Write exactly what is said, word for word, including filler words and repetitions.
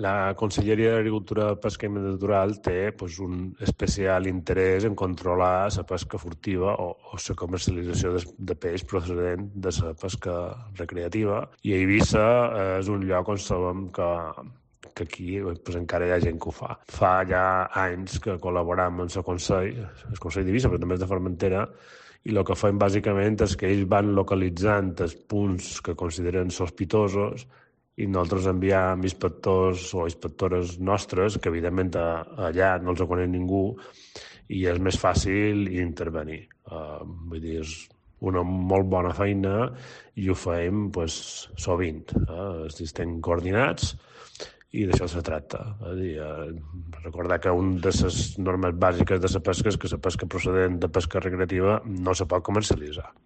La Conselleria d'Agricultura, Pesca i Medi Natural té pues, un especial interès en controlar la pesca furtiva o, o la comercialització de, de peix procedent de la pesca recreativa. I Eivissa eh, és un lloc on sabem que, que aquí pues, encara hi ha gent que ho fa. Fa ja anys que col·laboram amb el Consell, el Consell d'Eivissa, però també és de Formentera, i el que fem bàsicament és que ells van localitzant els punts que consideren sospitosos i nosaltres enviam inspectors o inspectores nostres, que evidentment allà no els coneix ningú i és més fàcil intervenir. Uh, vull dir, és una molt bona feina i ho fem pues, sovint. Uh, estem coordinats i d'això se tracta. És dir, uh, recordar que una de les normes bàsiques de la pesca és que la pesca procedent de pesca recreativa no se pot comercialitzar.